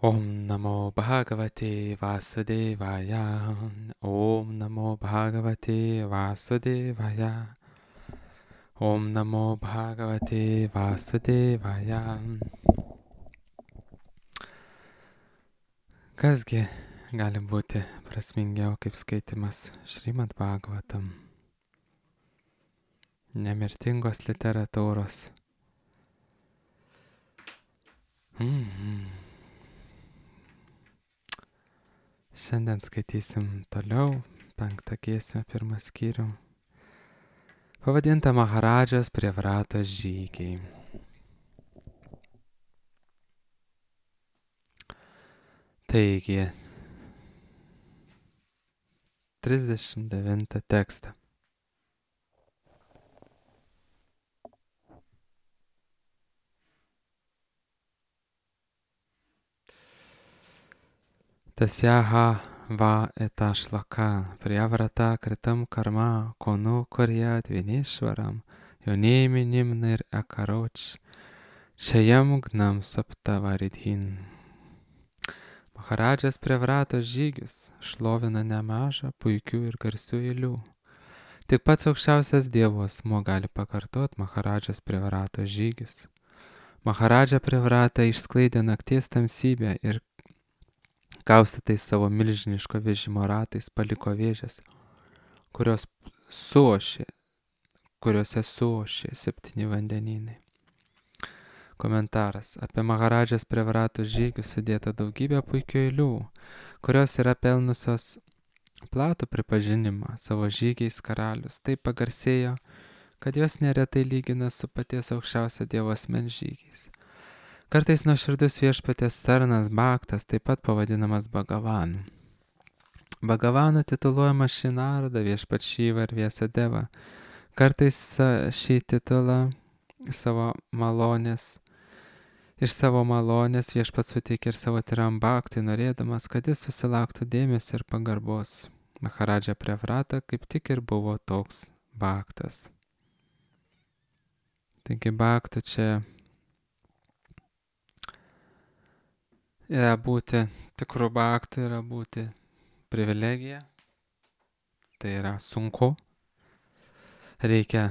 Om Namo Bhagavate Vasudevaya. Om Namo Bhagavate Vasudevaya. Om Namo Bhagavate Vasudevaya. Kasgi gali būti prasmingiau kaip skaitimas Šrimad Bhagavatam, nemirtingos literatūros. Šiandien skaitysim toliau 5 giesmę 1 skyrių, pavadintą Maharadžos Prevratos žygiai. Taigi, 39 tekstą. Tasyaha va eta shlaka priyavrata kritam karma konu kuryat vinishvaram yonėminim nir akaroč čayam gnam saptavaridhin. Maharadžas Prevratos žygius šlovina nemažą puikių ir garsių eilių. Tik pats aukščiausias Dievo asmuo gali pakartot Maharadžos Prevratos žygius. Maharadža Prevrata išsklaidė nakties tamsybę ir kaustytais savo milžiniško vežimo ratais paliko vėžes, kuriose suošė 7 vandenynai. Komentaras. Apie Maharadžos Prevratos žygius sudėta daugybė puikių eilių, kurios yra pelnusios platų pripažinimą. Savo žygiais karalius taip pagarsėjo, kad jos neretai lygina su paties aukščiausio Dievo asmens žygiais. Kartais nuoširdus viešpaties tarnas Bhaktas, taip pat pavadinamas Bhagavanu. Bhagavanu tituluojama Šinarada, viešpat Šiva ir Vyasadeva. Kartais šį titulą iš savo malonės viešpat suteikė ir savo tyram Bhaktui, norėdamas, kad jis susilauktų dėmesio ir pagarbos. Maharadža Prevrata kaip tik ir buvo toks Bhaktas. Taigi Bhaktų čia yra būti tikrų Bhaktų, yra būti privilegija. Tai yra sunku. Reikia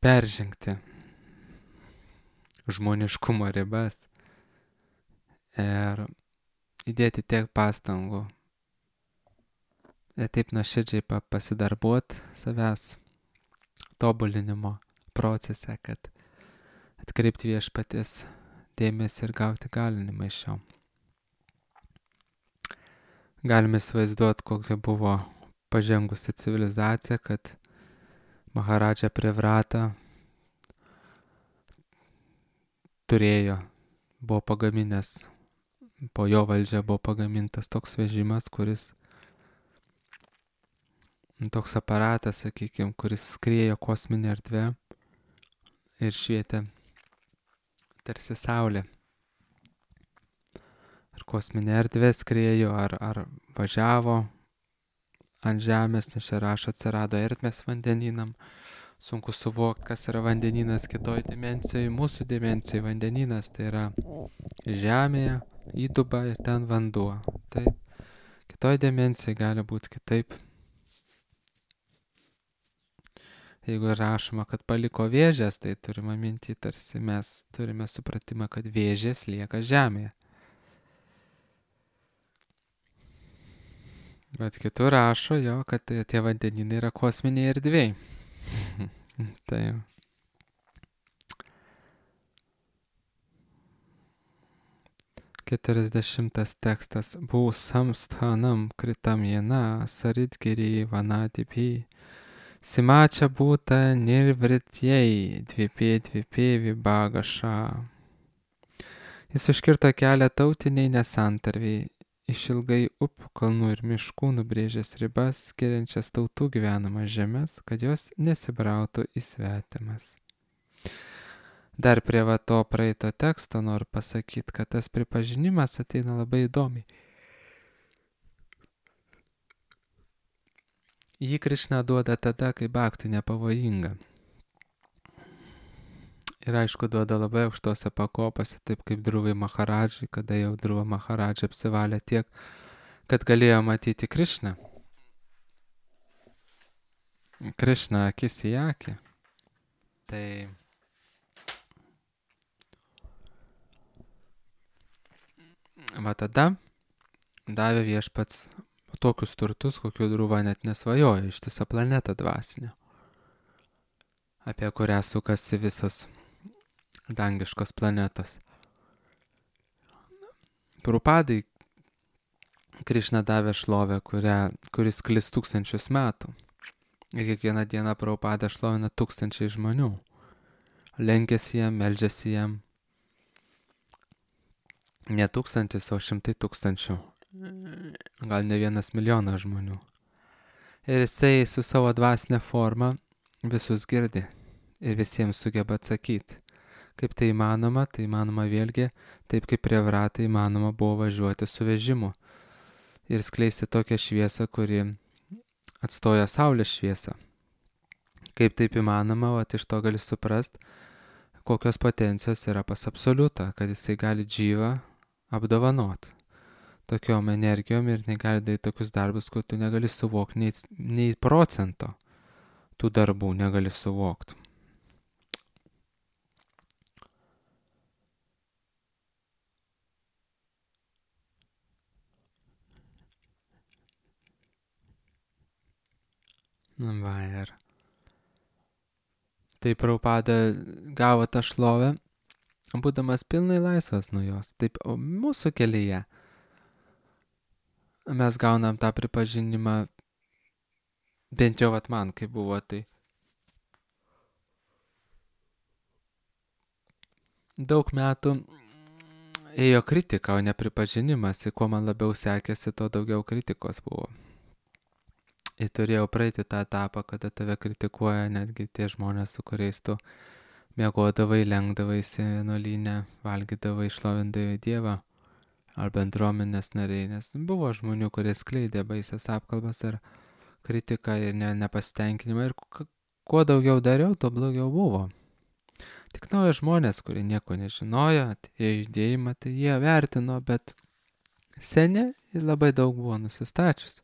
peržengti žmoniškumo ribas ir įdėti tiek pastangų ir taip nuoširdžiai pasidarbuot savęs tobulinimo procese, kad atkreipti viešpaties dėmesį ir gauti galinimą iš jo. Galime įsivaizduoti, kokia buvo pažengusi civilizacija, kad Maharadža Prevrata buvo pagaminęs, po jo valdžia buvo pagamintas toks vežimas, toks aparatas, sakykime, kuris skriejo kosminę erdvę ir švietė tarsi saulė. Ar kosminė erdvė skriejo, ar važiavo ant žemės, nes čia rašo atsirado ertmės vandenynam. Sunku suvokti, kas yra vandenynas kitoj dimensijai. Mūsų dimensijai vandenynas tai yra žemėje, įduba ir ten vanduo. Taip. Kitoj dimensijai gali būti kitaip. Jeigu rašoma, kad paliko vėžės, tai turime minti, tarsi mes turime supratimą, kad vėžės lieka žemėje. Bet kitur rašo jo, kad tie vandenynai yra kosminiai erdvėjai. Tai. Keturiasdešimtas tekstas. Būsam sthanam kritam jena saridgiri vanadipi. Simačia būta nirvritjei dvipė vibagaša. Jis užkirto kelią tautiniai nesantarviai. Išilgai upių, kalnų ir miškų nubrėžęs ribas, skiriančias tautų gyvenamas žemės, kad jos nesibrautų į svetimas. Dar prie to praeito teksto noriu pasakyti, kad tas pripažinimas ateina labai įdomiai. Jį Krišna duoda tada, kai bhakti nepavojinga. Ir aišku, duoda labai aukštose pakopose, taip kaip Druvai Maharadžai, kada jau Druva Maharadžai apsivalė tiek, kad galėjo matyti Krišną. Krišną akis į akį. Tai va tada davė viešpats tokius turtus, kokių Druva net nesvajojo, ištisą planetą dvasinę, apie kurią sukasi visos dangiškos planetos. Prabhupadai Krišna davė šlovę, kuris sklis 1000 metų. Ir kiekvieną dieną Prabhupada šlovina 1000 žmonių. Lenkiasi jam, meldžiasi jam. Ne 1000, o 100 000. Gal ne 1 milijonas žmonių. Ir jisai su savo dvasinė forma visus girdi. Ir visiems sugeba atsakyti. Kaip tai įmanoma vėlgi, taip kaip prie Vratai įmanoma buvo važiuoti su vežimu. Ir skleisti tokią šviesą, kuri atstoja saulės šviesą. Kaip taip įmanoma, iš to gali suprast, kokios potencijos yra pas absoliutą, kad jisai gali džyvą apdovanot tokiom energijom ir negali daryti tokius darbus, kur tu negali suvokti nei procento tų darbų negali suvokti. Va ir taip Prabhupada gavo tą šlovę, būdamas pilnai laisvas nuo jos. Taip mūsų kelyje mes gaunam tą pripažinimą, bent jau man, kai buvo tai. Daug metų ėjo kritika, o ne pripažinimas, ir kuo man labiau sekėsi, to daugiau kritikos buvo. Ir turėjau praeiti tą etapą, kada tave kritikuoja netgi tie žmonės, su kuriais tu miegodavai, lenkdavaisi vienuolyne, valgydavai, šlovindavai Dievą, ar bendruomenės nariai, nes buvo žmonių, kurie skleidė baisias apkalbas ar kritiką ir nepasitenkinimą, ir kuo daugiau dariau, tuo blogiau buvo. Tik nauji žmonės, kurie nieko nežinojo, atėjo judėjimą, tai jie vertino, bet seni labai daug buvo nusistačius.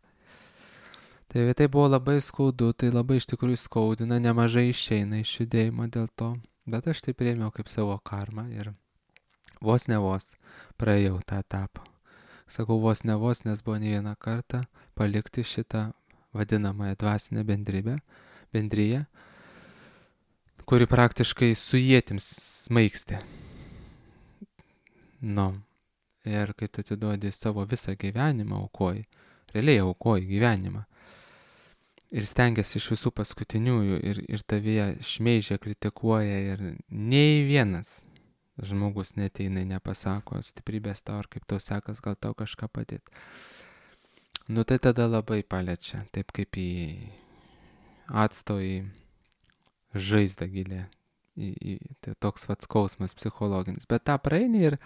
Tai buvo labai skaudu, tai labai iš tikrųjų skaudina, nemažai išeina iš judėjimo dėl to, bet aš tai priėmiau kaip savo karmą ir vos ne vos praėjau tą etapą. Sakau vos ne vos, nes buvo ne vieną kartą palikti šitą vadinamąją dvasinę bendryją, kuri praktiškai su ietims smaigstė. Ir kai tu atiduodi savo visą gyvenimą, aukoji, realiai aukoji gyvenimą, ir stengiasi iš visų paskutiniųjų, ir tavyje šmeižia, kritikuoja, ir nei vienas žmogus neteina, nepasako stiprybės tau, ar kaip tau sekas, gal tau kažką padėti. Tai tada labai paliečia, taip kaip į atsto į žaizdą gilę, tai toks skausmas psichologinis, bet tą praeini ir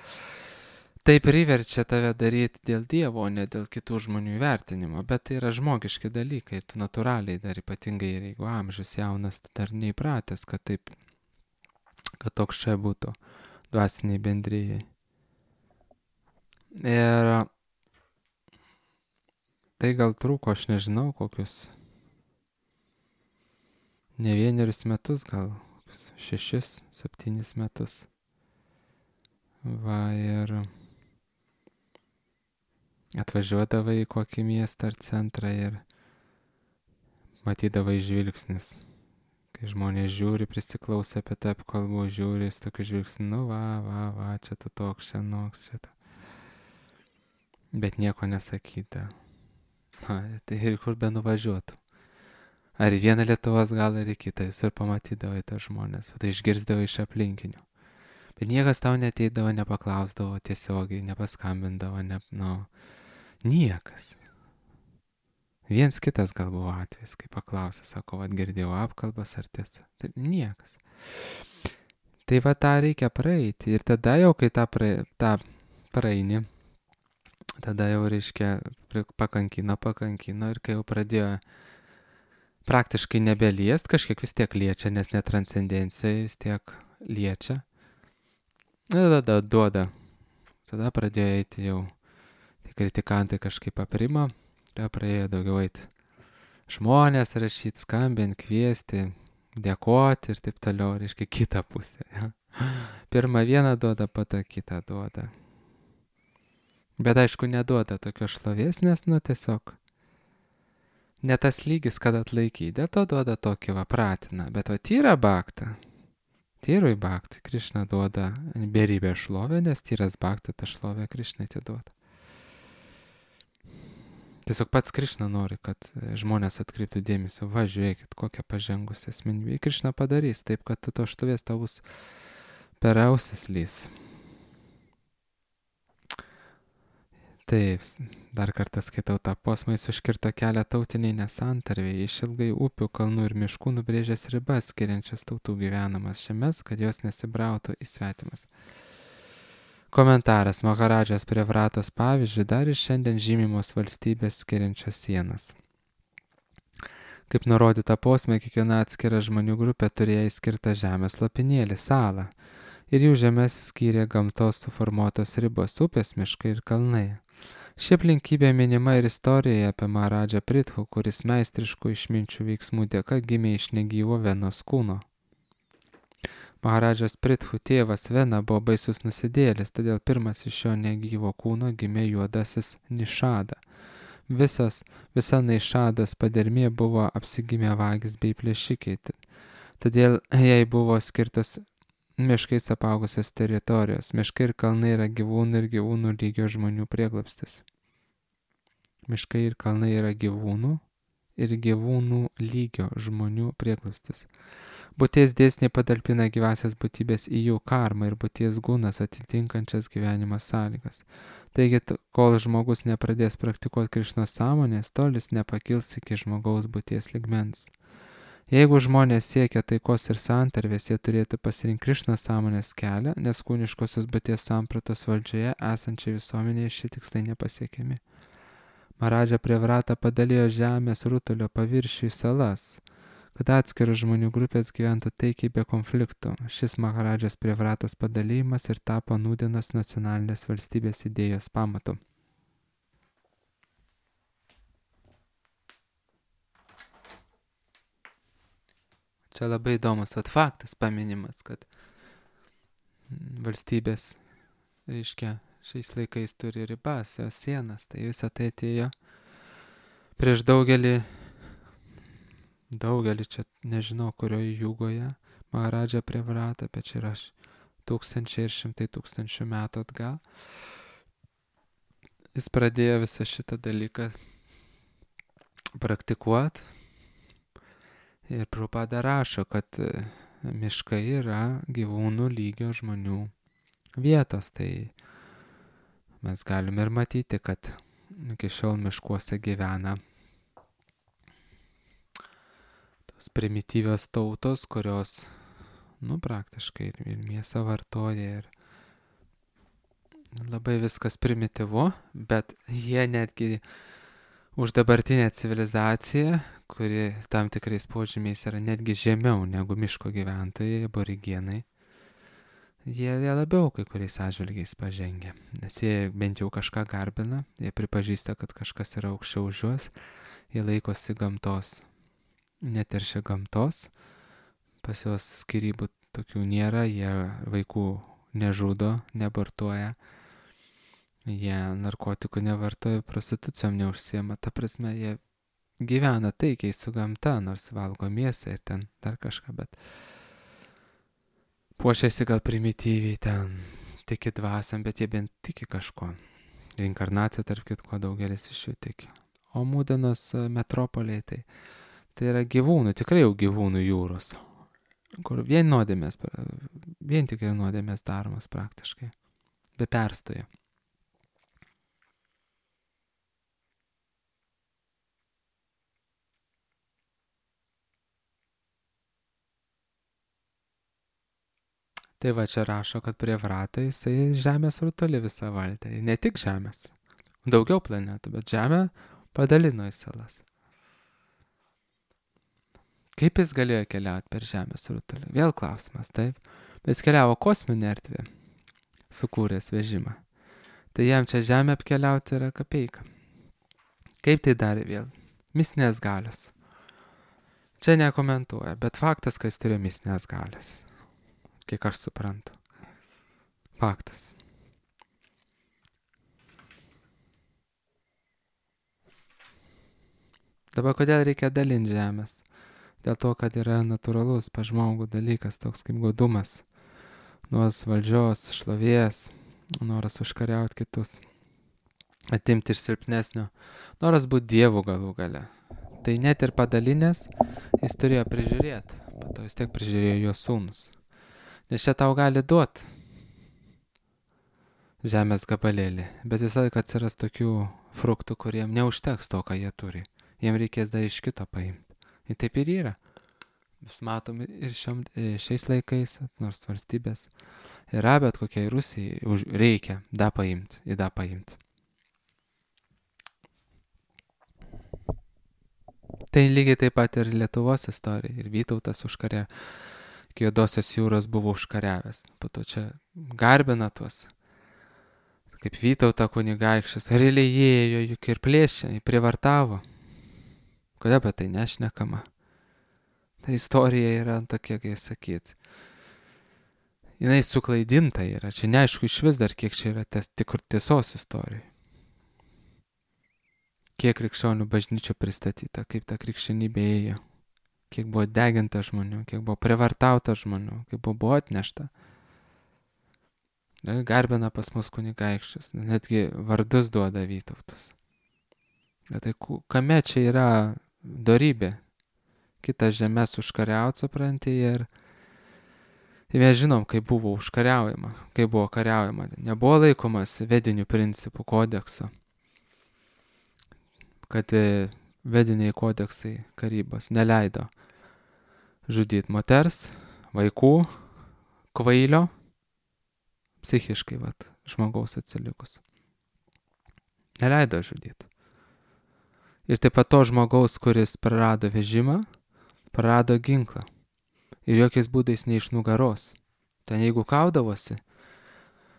tai priverčia tave daryti dėl Dievo, o ne dėl kitų žmonių įvertinimo, bet tai yra žmogiški dalykai, ir tu natūraliai dar ypatingai, ir jeigu amžius jaunas, tu dar neįpratęs, kad toks čia būtų dvasiniai bendrijai. Ir tai gal trūko, aš nežinau, kokius ne 1 metus, gal 6-7 metus. Ir atvažiuodavai į kokį miestą ar centrą ir matydavai žvilgsnis. Kai žmonės žiūri, prisiklausia apie tą apkalbų, žiūri su tokiu žvilgsniu, va, čia tu toks, čia noks, čia. Bet nieko nesakyta. Tai ir kur be nuvažiuotų. Ar į vieną Lietuvos galą, ar į kitą, visur pamatydavai tą žmonės, tai išgirsdavai iš aplinkinių. Bet niekas tau neteidavo, nepaklausdavo tiesiogiai, nepaskambindavo, niekas. Viens kitas gal buvo atvejis, kai paklausė, sako, girdėjau apkalbas ar tiesa. Tai niekas. Tai tą reikia praeiti. Ir tada jau, kai tą praeini, tada jau reiškia pakankino, ir kai jau pradėjo praktiškai nebeliest, kažkiek vis tiek liečia, nes netranscendencija vis tiek liečia. Ir tada duoda. Tada pradėjo eiti jau. Tie kritikantai kažkaip aprimo. Tada praėjo daugiau eiti žmonės rašyti, skambinti, kviesti, dėkoti ir taip toliau, reiškia kitą pusę. Ja. Pirmą vieną duoda, pada kitą duoda. Bet aišku, neduoda tokios šlovės, nes, tiesiog ne tas lygis, kad atlaikyti. Dėl to duoda tokį pratina. Bet tyra bhakta. Tyrui bhakti Krišna duoda beribę šlovę, nes tyras bhakta tą šlovę Krišnai atiduoda. Tiesiog pats Krišna nori, kad žmonės atkreiptų dėmesį. Va, žiūrėkit, kokią pažengusią asmenybę. Krišna padarys taip, kad to štovės tau bus per ausis lys. Taip, dar kartą skaitau tą posmą, jis užkirto kelią tautiniai nesantarviai, išilgai upių, kalnų ir miškų nubrėžęs ribas, skiriančias tautų gyvenamas žemes, kad jos nesibrautų į svetimas. Komentaras Maharadžas Prevratos pavyzdžiui dar ir šiandien žymimos valstybės skiriančios sienas. Kaip nurodyta posme, kiekviena atskira žmonių grupė turėjo įskirtą žemės lopinėlį, salą, ir jų žemės skyrė gamtos suformuotos ribos, upės, miškai ir kalnai. Ši aplinkybė minima ir istorijoje apie Maharadžą Prithu, kuris meistriškų išminčių veiksmų dėka gimė iš negyvo Venos kūno. Maharadžas Prithu tėvas Vena buvo baisus nusidėlis, todėl pirmas iš šio negyvo kūno gimė juodasis Nišada. Visa Nišadas padermė buvo apsigimę vagys bei plėšikai, todėl jai buvo skirtas miškais apaugusios teritorijos. Miškai ir kalnai yra gyvūnų ir gyvūnų lygio žmonių prieglobstis. Miškai ir kalnai yra gyvūnų ir gyvūnų lygio žmonių prieglobstis. Būties dėsniai padalpina gyvasias būtybės į jų karmą ir būties gūnas atitinkančias gyvenimo sąlygas. Taigi, kol žmogus nepradės praktikuoti Krišnos sąmonės, tol jis nepakils iki žmogaus būties lygmens. Jeigu žmonės siekia taikos ir santarvės, jie turėtų pasirinkti Krišnos sąmonės kelią, nes kūniškosios būties sampratos valdžioje esančiai visuomenėje šie tikslai nepasiekiami. Maharadža Prevrata padalijo žemės rutulio paviršių į salas, kad atskiros žmonių grupės gyventų taikiai be konfliktų. Šis Maharadžas Prevratos padalymas ir tapo nūdienos nacionalinės valstybės idėjos pamatu. Čia labai įdomus faktas paminimas, kad valstybės, reiškia, šiais laikais turi ribas, jos sienas, tai visą tai atėjo prieš daugelį čia nežinau kurioje jūgoje, Maharadža Prevrata, bet čia yra tūkstančiai ir šimtai tūkstančių metų atgal. Jis pradėjo visą šitą dalyką praktikuoti ir Prabhupada rašo, kad miškai yra gyvūnų lygio žmonių vietos. Tai mes galime ir matyti, kad iki šiol miškuose gyvena primityvios tautos, kurios, praktiškai ir mėsą vartoja ir labai viskas primityvu, bet jie netgi už dabartinę civilizaciją, kuri tam tikrais požymiais yra netgi žemiau negu miško gyventojai, aborigenai, jie labiau kai kuriais atžvilgiais pažengia, nes jie bent jau kažką garbina, jie pripažįsta, kad kažkas yra aukščiau už juos, jie laikosi gamtos. Neteršia gamtos, pas juos skyrybų tokių nėra, jie vaikų nežudo, neabortuoja, jie narkotikų nevartoja, prostitucijom neužsiema, ta prasme, jie gyvena taikiai su gamta, nors valgo mėsą ir ten dar kažką, bet puošiasi gal primityviai, ten tiki dvasiam, bet jie bent tiki kažko. Reinkarnacija, tarp kitko, daugelis iš jų tiki. O Mūdenos metropoliai tai yra gyvūnų, tikrai jau gyvūnų jūros, kur vien tik nuodėmės daromas praktiškai, be perstojo. Tai va čia rašo, kad Prevrata jisai žemės rutulį visą valdė, ne tik žemės, daugiau planetų, bet žemę padalino į salas. Kaip jis galėjo keliauti per žemės rutulį? Vėl klausimas, taip. Jis keliavo kosminę erdvę, sukūręs vežimą. Tai jam čia žemė apkeliauti yra kapeika. Kaip tai darė vėl? Mistinės galios. Čia nekomentuoja, bet faktas, kad jis turėjo mistinės galios. Kiek aš suprantu. Faktas. Dabar kodėl reikia dalinti žemės? Dėl to, kad yra natūralus pa žmogų dalykas, toks kaip godumas. Noras valdžios, šlovės, noras užkariauti kitus. Atimti iš silpnesnio. Noras būti dievu galų gale. Tai net ir padalinės jis turėjo prižiūrėti. Po to vis tiek prižiūrėjo jo sūnus. Nes čia tau gali duoti žemės gabalėlį. Bet visą laiką atsiras tokių fruktų, kuriem neužteks to, ką jie turi. Jiem reikės dar iš kito paimti. Ir taip ir yra. Mes matome ir šiais laikais, nors valstybės yra, bet kokiai Rusijai reikia da paimti, į da paimti. Tai lygiai taip pat ir Lietuvos istorija. Ir Vytautas užkarė, iki Juodosios jūros buvo užkariavęs. Po to čia garbina tuos, kaip Vytautą kunigaikščius. Realiai ėjo juk ir plėšė, privartavo. Kodėl apie tai nešnekama? Ta istorija yra tokia, kai sakyt. Jinai suklaidinta yra. Čia neaišku iš vis dar, kiek čia yra tiesos istorijai. Kiek krikščionių bažnyčių pristatyta, kaip ta krikščionybė ėjo. Kiek buvo deginta žmonių, kiek buvo privartauta žmonių, kiek buvo atnešta. Garbina pas mus kunigaikščius, netgi vardus duoda Vytautus. Bet tai kame čia yra dorybė? Kitas žemės užkariauti, supranti, ir mes žinom, kaip buvo užkariaujama, kaip buvo kariaujama. Nebuvo laikomas vedinių principų kodekso, kad vediniai kodeksai karybos neleido žudyti moters, vaikų, kvailio, psichiškai, žmogaus atsilikus. Neleido žudyti. Ir taip pat to žmogaus, kuris prarado vežimą, prarado ginklą. Ir jokiais būdais ne iš nugaros. Ten jeigu kaudavosi,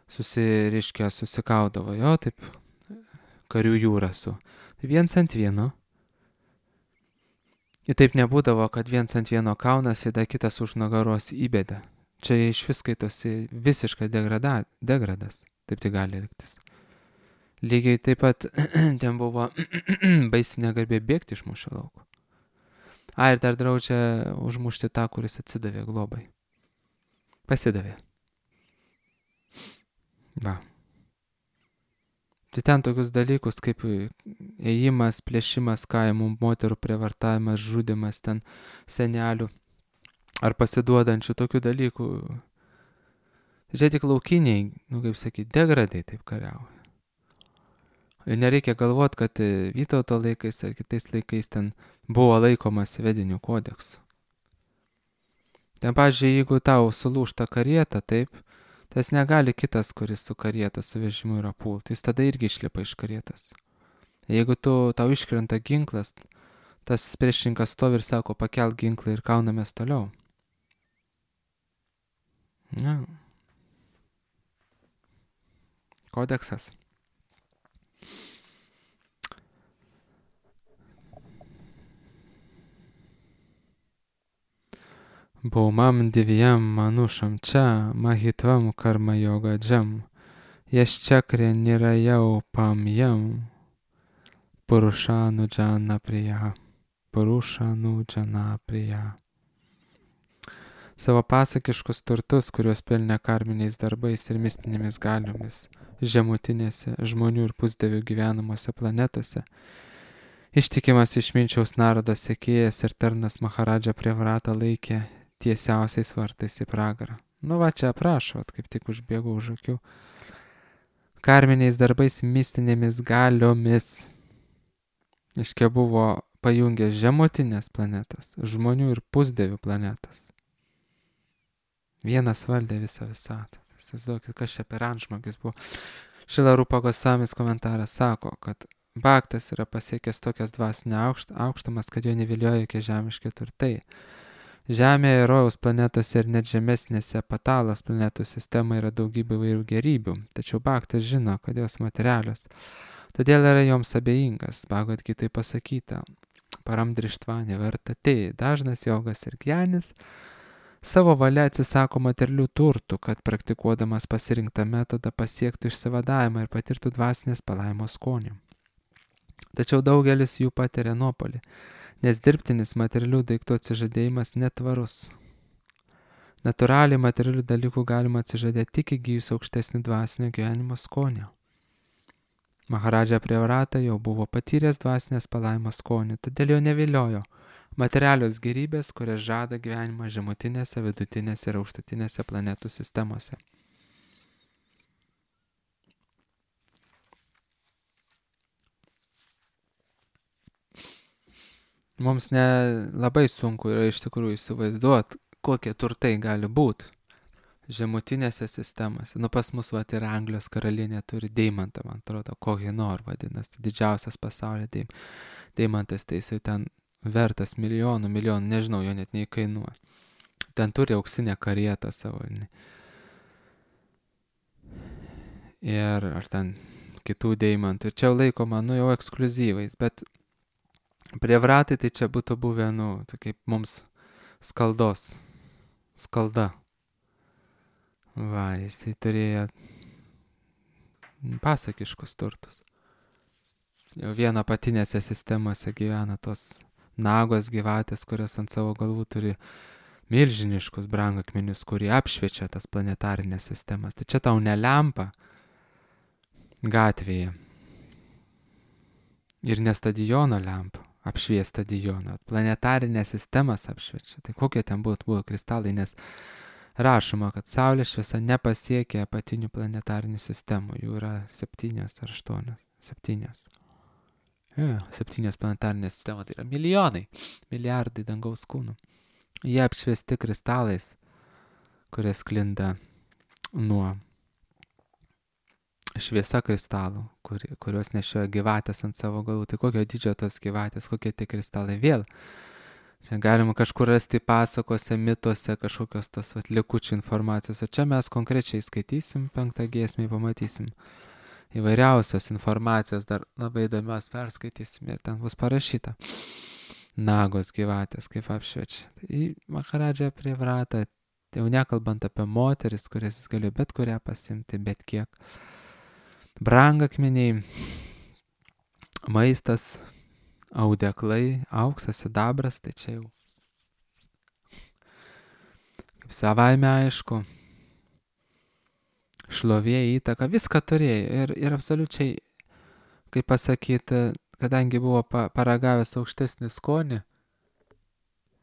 susikaudavo, jo, taip, karių jūra su. Tai viens ant vieno. Ir taip nebūdavo, kad viens ant vieno kaunasi, da kitas už nugaros įbėda. Čia iš vis skaitosi visiškai degradas. Taip tai gali elgtis. Lygiai taip pat ten buvo baisi negarbė bėgti iš mūšio lauko. Ir dar draudžia užmušti tą, kuris atsidavė globai. Pasidavė. Va. Tai ten tokius dalykus kaip ėjimas, plėšimas kaimų, moterų prievartavimas, žudimas ten senelių ar pasiduodančių tokių dalykų. Čia tik laukiniai, kaip sakyti, degradai taip kariauja. Ir nereikia galvoti, kad Vytauto laikais ar kitais laikais ten buvo laikomas vedinių kodeksu. Ten, pavyzdžiui, jeigu tau sulūžta karieta, taip, tas negali kitas, kuris su karieta, su vežimu yra pult. Jis tada irgi išlipa iš karietos. Jeigu tau iškrenta ginklas, tas priešininkas stovi ir sako, pakelk ginklą ir kaunamės toliau. Ja. Kodeksas. Bhaumam divyam manušam čia mahitvam karma yoga džam yaschakre nirayau pamyam purušanu džana priya. Savo pasakiškus turtus, kuriuos pelnė karminiais darbais ir mistinėmis galiomis žemutinėse žmonių ir pusdievių gyvenamuose planetose, ištikimas išminčiaus Narodas sekėjas ir tarnas Maharadža Prevratą laikė tiesiausiais vartais į pragarą. Va čia aprašo, kaip tik užbėgau už akių. Karminiais darbais mistinėmis galiomis. Iškia buvo pajungęs žemutinės planetas, žmonių ir pusdievių planetas. Vienas valdė visą visatą. Įsivaizduokit, kas čia per antžmogis buvo. Šila Rupa Gosamis komentaras sako, kad Bhaktas yra pasiekęs tokias dvasinę aukštumas, kad jo nevilioja jokie žemiški turtai. Žemėje, rojaus planetose ir net žemesnėse patalos planetų sistemoje yra daugybė įvairių gerybių, tačiau Bhaktas žino, kad jos materialios. Todėl yra joms abejingas, Bhagavad Gitai pasakyta, paramdrištva nevertate, dažnas jogas ir gjanis savo valia atsisako materialių turtų, kad praktikuodamas pasirinktą metodą pasiektų išsivadavimą ir patirtų dvasinės palaimos skonį. Tačiau daugelis jų patiria nuopolį, nes dirbtinis materialių daiktų atsižadėjimas netvarus. Natūraliai materialių dalykų galima atsižadėti tik įgyjus aukštesnį dvasinio gyvenimo skonį. Maharadža Privrata jau buvo patyręs dvasinės palaimos skonį, todėl jo neviliojo materialios gerybės, kurias žada gyvenimą žemutinėse, vidutinėse ir aukštutinėse planetų sistemose. Mums labai sunku yra iš tikrųjų įsivaizduoti, kokie turtai gali būti žemutinėse sistemose. Nu, pas mus yra Anglijos karalienė turi deimantą, man atrodo, Kohinor vadinasi, didžiausias pasaulyje deimantas, tai jisai ten vertas milijonų, nežinau, jo net neįkainuoja. Ten turi auksinę karietą savo. Ir ar ten kitų deimantų. Ir čia laikoma, jau ekskluzyvais, bet Privratai tai čia būtų buvę, tai kaip mums skalda. Va, jisai turėjo pasakiškus turtus. Jau vieno apatinėse sistemose gyvena tos nagos gyvatės, kurios ant savo galvų turi milžiniškus brangakmenius, kurie apšviečia tas planetarinės sistemas. Tai čia tau ne lempa gatvėje ir ne stadiono lempa apšvies stadioną, planetarinės sistemas apšviečia. Tai kokie ten buvo kristalai, nes rašoma, kad Saulės šviesa nepasiekia apatinių planetarinių sistemų. Jų yra 7 ar 8. 7 planetarinės sistemos, tai yra milijonai, milijardai dangaus kūnų. Jie apšviesti kristalais, kurie sklinda nuo šviesa kristalų, kurios nešioja gyvatės ant savo galvų. Tai kokio dydžio tos gyvatės, kokie tie kristalai vėl. Čia galima kažkur rasti pasakose, mituose, kažkokios tos likučių informacijos. O čia mes konkrečiai skaitysim 5 giesmį, pamatysim įvairiausios informacijos, dar labai įdomios perskaitysim ir ten bus parašyta. Nagos gyvatės, kaip apšviečia. Tai Maharadža Privrata, jau nekalbant apie moteris, kurias jis galėjo bet kurią pasimti, bet kiek. Brangakmeniai, maistas, audeklai, auksas, sidabras, tai čia jau kaip savaime aišku, šlovė, įtaka, viską turėjo ir absoliučiai, kaip pasakyti, kadangi buvo paragavęs aukštesnį skonį,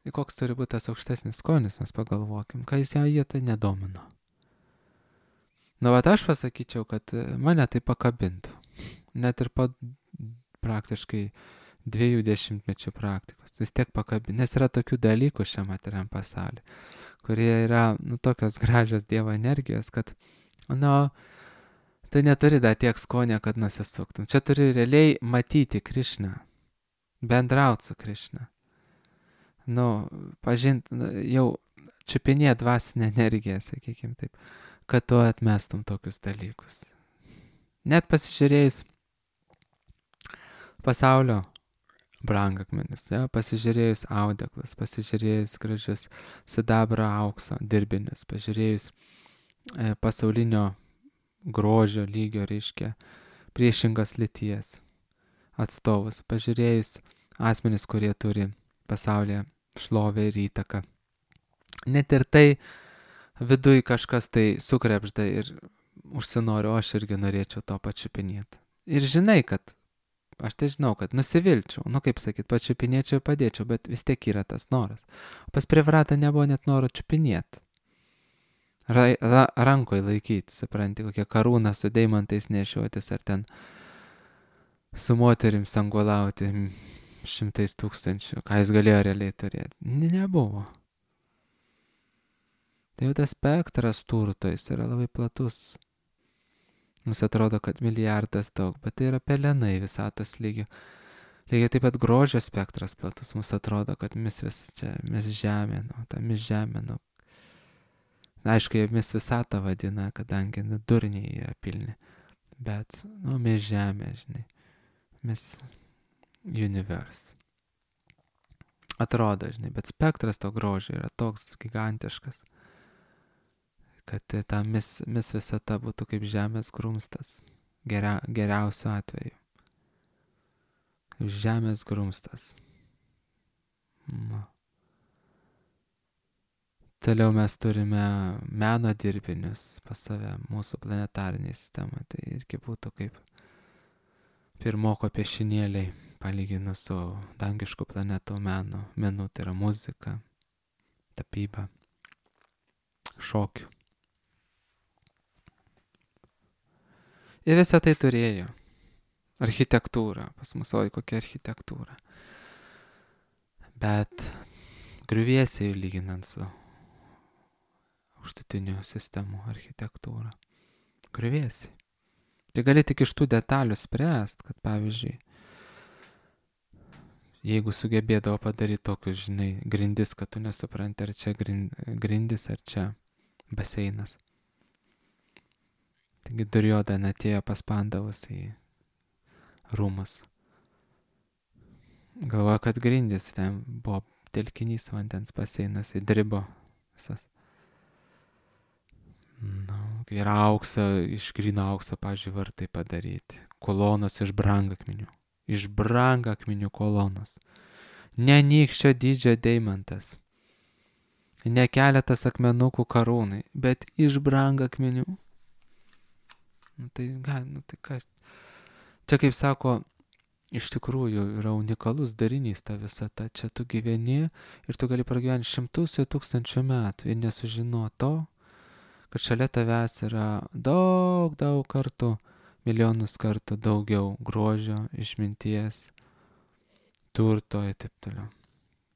tai koks turi būti tas aukštesnis skonis, mes pagalvokim, ką jis jie tai nedomino. Aš pasakyčiau, kad mane tai pakabintų. Net ir po praktiškai 20 mečių praktikos. Vis tiek pakabintų. Nes yra tokių dalykų šiame materialiam pasaulyje, kurie yra tokios gražios Dievo energijos, kad tai neturi dar tiek skonio, kad nusisuktum. Čia turi realiai matyti Krišną, bendrauti su Krišna. Pažinti, jau čiupinėti dvasinę energiją, sakykime taip, kad tu atmestum tokius dalykus. Net pasižiūrėjus pasaulio brangakmenis, pasižiūrėjus audeklus, pasižiūrėjus gražius sidabro aukso dirbinius, pažiūrėjus pasaulinio grožio lygio, reiškia, priešingos lyties atstovus, pažiūrėjus asmenis, kurie turi pasaulyje šlovę ir įtaką. Net ir tai viduj kažkas tai sukrepžda ir užsinoriu, aš irgi norėčiau to pačiupinėti. Ir žinai, kad aš tai žinau, kad nusivilčiau, kaip sakyt, pačiupinėčiau ir padėčiau, bet vis tiek yra tas noras. Pas Privratą nebuvo net noro čiupinėti. Rankoje laikyti, supranti, kokie karūną su deimantais nešiotis, ar ten su moterim sangolauti 100 000, ką jis galėjo realiai turėti. Nebuvo. Tai jau tas spektras turto, jis yra labai platus. Mums atrodo, kad milijardas daug, bet tai yra pelenai visatos lygio. Lygiai taip pat grožio spektras platus, mums atrodo, kad mis žemė, mis žemė, aišku, jie mis visatą vadina, kadangi durniai yra pilni, bet, mis žemė, žinai, mis universe. Atrodo, žinai, bet spektras to grožio yra toks gigantiškas, kad ta mis visata būtų kaip žemės grumstas, geriausiu atveju. Kaip žemės grumstas. Toliau mes turime meno dirbinius pas save, mūsų planetarinėje sistemoje. Tai irgi būtų kaip pirmoko piešinėliai, palyginus su dangiškų planetų menu, tai yra muzika, tapyba, šokių. Ir visą tai turėjo. Architektūra, pas mus oi kokia architektūra. Bet griuvėsiai lyginant su aukštutinių sistemų architektūra. Griuvėsiai. Tai gali tik iš tų detalių spręst, kad pavyzdžiui, jeigu sugebėdavo padaryti tokius, žinai, grindis, kad tu nesupranti, ar čia grindis, ar čia baseinas. Taigi Duryodhana atėjo pas Pandavus į rūmus. Galvoja, kad grindis, ten buvo telkinys vandens baseinas, įdribo visas. Ir aukso, iš gryno aukso, pavyzdžiui, vartai padaryti. Kolonos iš brangakmenių. Iš brangakmenių kolonos. Ne nykščio dydžio deimantas. Ne keletas akmenukų karūnai, bet iš brangakmenių. Tai kas? Čia kaip sako, iš tikrųjų yra unikalus darinys ta visata. Čia tu gyveni ir tu gali pragyventi šimtus ir tūkstančių metų ir nesužino to, kad šalia tavęs yra daug kartų, milijonus kartų daugiau grožio, išminties, turto ir taip toliau.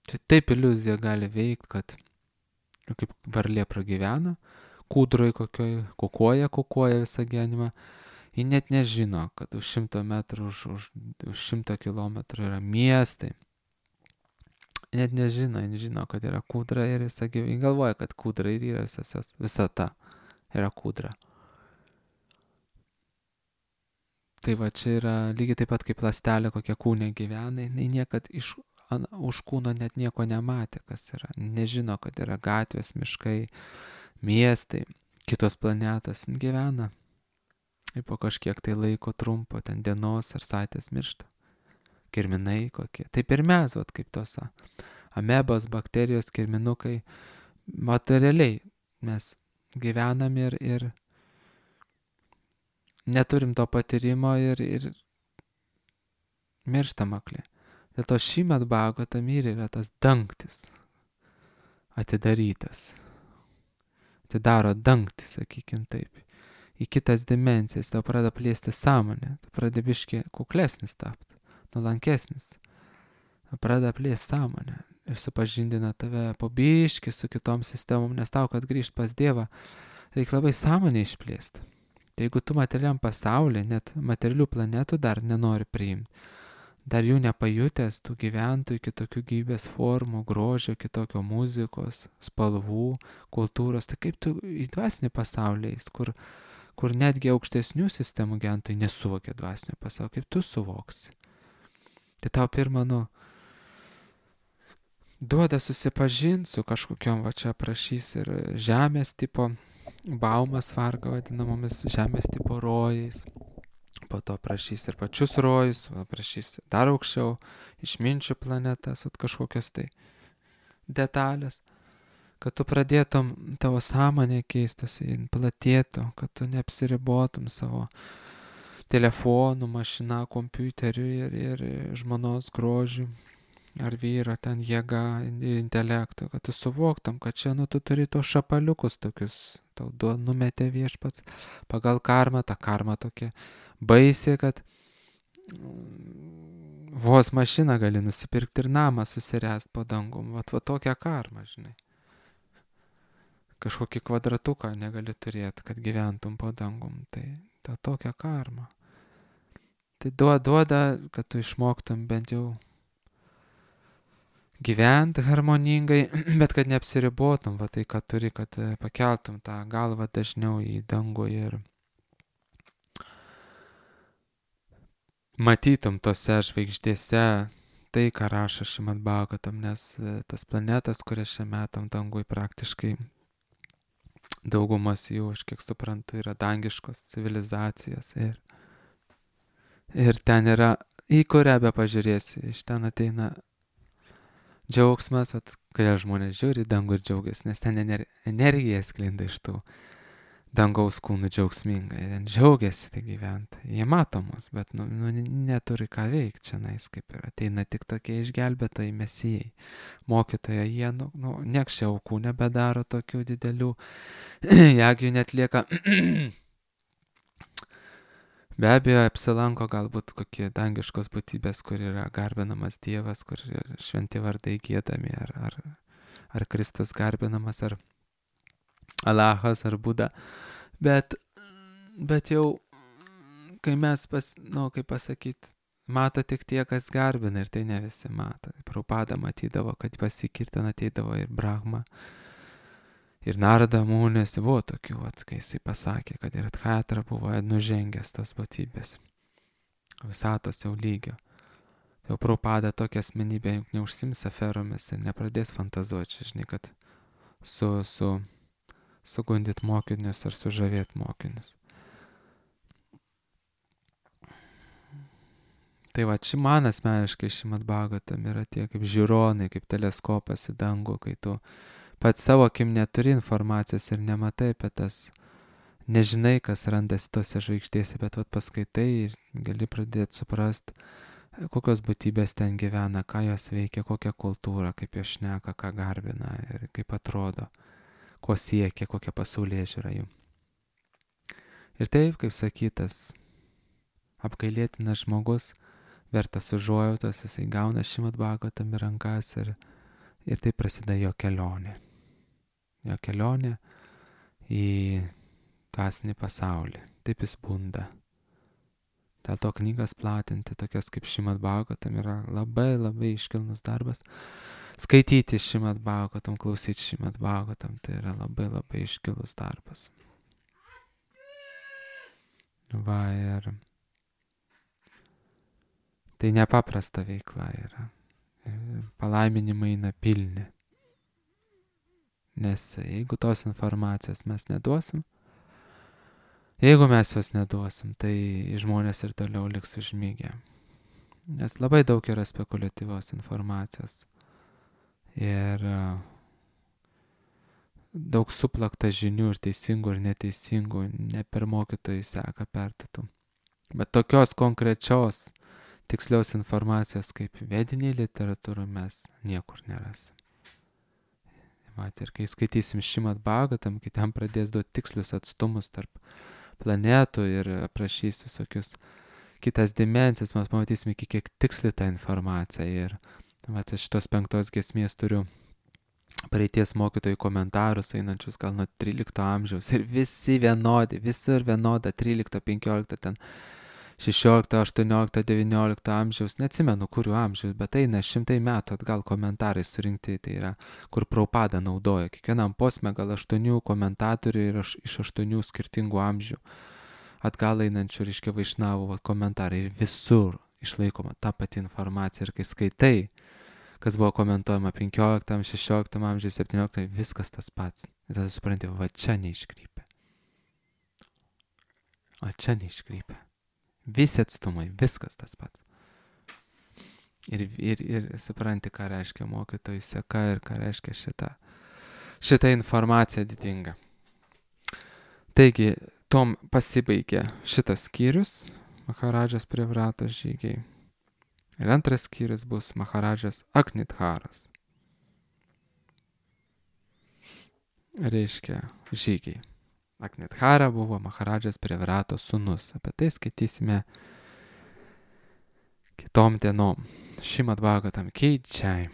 Čia taip iliuzija gali veikti, kad kaip varlė pragyvena, kūdroj kokioj, kukuoja visą gyvenimą, ji net nežino, kad už 100 metrų, už 100 kilometrų yra miestai. Net nežino, kad yra kūdra ir visą gyvenimą. Galvoja, kad kūdra ir yra visata. Yra kūdra. Tai va, čia yra lygiai taip pat kaip ląstelė, kokia kūne gyvena. Jis niekad už kūno net nieko nematė, kas yra. Nežino, kad yra gatvės, miškai, miestai, kitos planetos gyvena. Ir po kažkiek tai laiko trumpo, ten dienos ar savaitės miršta. Kirminai kokie. Taip ir mes, kaip tos amebos, bakterijos, kirminukai. Materialiai mes gyvenam ir neturim to patyrimo ir mirštam akli. Dėl to šįmet Bhagavatam yra tas dangtis atidarytas. Atidaro dangtį, sakykim taip. Į kitas dimensijas, tau pradeda plėsti sąmonę, tu pradeda biškį kuklesnis tapti, nuolankesnis. Tau pradeda plėsti sąmonę ir supažindina tave po biškį su kitom sistemom, nes tau, kad grįžt pas Dievą, reikia labai sąmonę išplėsti. Tai jeigu tu materialiam pasaulyje, net materialių planetų dar nenori priimti, dar jų nepajutęs, tų gyventojų, kitokių gyvybės formų, grožio, kitokio muzikos, spalvų, kultūros, tai kaip tu į dvasinį pasaulį eis, kur netgi aukštesnių sistemų gyventojai nesuvokia dvasinio pasaulio, kaip tu suvoksi. Tai tau pirmą, duoda susipažinti su kažkokiom, va čia prašys ir žemės tipo, baumas varga vadinamomis žemės tipo rojais. Po to prašys ir pačius rojus, prašys dar aukščiau, išminčių planetas, kažkokios tai detalės. Kad tu pradėtum, tavo sąmonė keistusi, platėtų, kad tu neapsiribotum savo telefonų, mašina, kompiuteriu ir žmonos grožiu, ar vyro ten jėga ir intelektu, kad tu suvoktum, kad čia, tu turi tos šapaliukus tokius, tau numetė viešpats pagal karmą, ta karma tokia baisi, kad vos mašiną gali nusipirkti ir namą susiręst po dangum, va tokia karma, žinai. Kažkokį kvadratuką negali turėti, kad gyventum po dangum, tai ta tokia karma. tai duoda, kad tu išmoktum bent jau gyventi harmoningai, bet kad neapsiribotum, va tai, kad turi, kad pakeltum tą galvą dažniau į dangų ir matytum tose žvaigždėse tai, ką rašo Šrimad Bhagavatam, nes tas planetas, kurias čia metam dangui, praktiškai daugumas jų, aš kiek suprantu, yra dangiškos civilizacijos ir ten yra, į kurią be pažiūrėsi, iš ten ateina džiaugsmas, kai žmonės žiūri į dangų ir džiaugiasi, nes ten energija sklinda iš tų dangaus kūnų džiaugsmingai, ten džiaugiasi tai gyventi. Jie matomos, bet neturi ką veikti čia, kaip ir ateina tik tokie išgelbėtojai mesijai. Mokytojai, jie, niekščia aukų nebedaro tokių didelių, jeigu jų netlieka. Be abejo, apsilanko galbūt kokie dangiškos būtybės, kur yra garbinamas Dievas, kur šventi vardai giedami, ar Kristus garbinamas, ar Alachas, ar Buda. Bet jau, kai mes, kaip pasakyti, mato tik tie, kas garbina, ir tai ne visi mato. Prabhupada matydavo, kad pasikirtan ateidavo ir Brahma, ir Narada Munis, buvo tokių, kai jisai pasakė, kad ir Adhatra buvo nužengęs tos būtybės, visatos jau lygio. Tai jau Prabhupada tokia asmenybė neužsims aferomis ir nepradės fantazuoti, žinai, kad sugundyt mokinius ar sužavėt mokinius. Tai va, man asmeniškai Šrimad Bhagavatam yra tie kaip žiūronai, kaip teleskopas į dangų, kai tu pats savo akim neturi informacijos ir nematai apie tas, nežinai, kas randasi tose žvaigždėse, bet paskaitai ir gali pradėti suprast, kokios būtybės ten gyvena, ką jos veikia, kokią kultūrą, kaip jos šneka, ką garbina ir kaip atrodo, ko siekia, kokia pasaulėžiūra jų. Ir taip, kaip sakytas, apgailėtinas žmogus, vertas užuojautos, jisai gauna Šrimad Bhagavatam į rankas ir taip prasideda jo kelionė. Jo kelionė į dvasinį pasaulį. Taip jis bunda. Dėl to knygas platinti, tokias kaip Šrimad Bhagavatam, yra labai labai iškilnus darbas. Skaityti Šrimad Bhagavatam, klausyti Šrimad Bhagavatam, tai yra labai labai iškilus darbas. Va, ir tai nepaprasta veikla yra. Palaiminimai eina pilni. Nes jeigu tos informacijos mes neduosim, tai žmonės ir toliau liks užmygę. Nes labai daug yra spekuliatyvios informacijos. Ir daug suplakta žinių ir teisingų ir neteisingų, ne per mokytojų seka pertatų. Bet tokios konkrečios, tikslios informacijos kaip vediniai literatūra mes niekur nerasim. Ir kai skaitysim Šrimad Bhagavatam, kai ten pradės duoti tikslius atstumus tarp planetų ir aprašys visokius kitas dimensijas, mes pamatysime, kiek tiksli ta informacija. Ir šitos 5 giesmės turiu praeities mokytojų komentarus, einančius gal nuo 13 amžiaus. Ir visi vienodi, visur vienoda, 13, 15, ten 16, 18, 19 amžiaus, neatsimenu kurių amžiaus, bet eina 100 metų atgal komentarai surinkti, tai yra, kur Prabhupada naudoja. Kiekvienam posme gal 8 komentatorių ir iš 8 skirtingų amžių atgal einančių, reiškia, vaišnavų komentarai. Ir visur išlaikoma ta pati informacija. Ir kai skaitai, kas buvo komentuojama 15, 16 amžiui, 17, viskas tas pats. Ir tada supranti, va čia neiškrypia. O čia neiškrypia. Visi atstumai, viskas tas pats. Ir supranti, ką reiškia mokytojų seka ir ką reiškia šita informacija didinga. Taigi, tom pasibaigė šitas skyrius, Maharadžas Prevratos žygiai. Ir antras skyrius bus Maharadžas Aknitharas. Reiškia žygiai. Aknithara buvo Maharadžas Prevratos sūnus. Apie tai skaitysime kitom dienom. Šrimad Bhagavatam Ki Jai.